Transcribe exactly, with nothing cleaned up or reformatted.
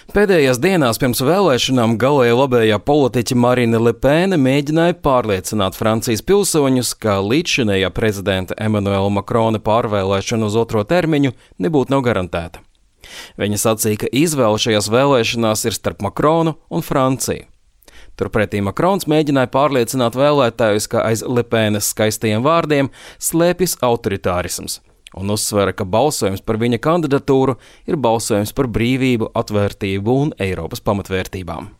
Pēdējās dienās pirms vēlēšanām galēji labējā politiķe Marine Le Pen mēģināja pārliecināt Francijas pilsoņus, ka līdzšinējā prezidenta Emmanuela Macrona pārvēlēšana uz otro termiņu nebūtu nav garantēta. Viņa sacīja, ka izvēle šajās vēlēšanās ir starp Macronu un Franciju. Turpretī Macrons mēģināja pārliecināt vēlētājus, ka aiz Le Penes skaistajiem vārdiem slēpjas autoritārisms, un uzsvera, ka balsojums par viņa kandidatūru ir balsojums par brīvību, atvērtību un Eiropas pamatvērtībām.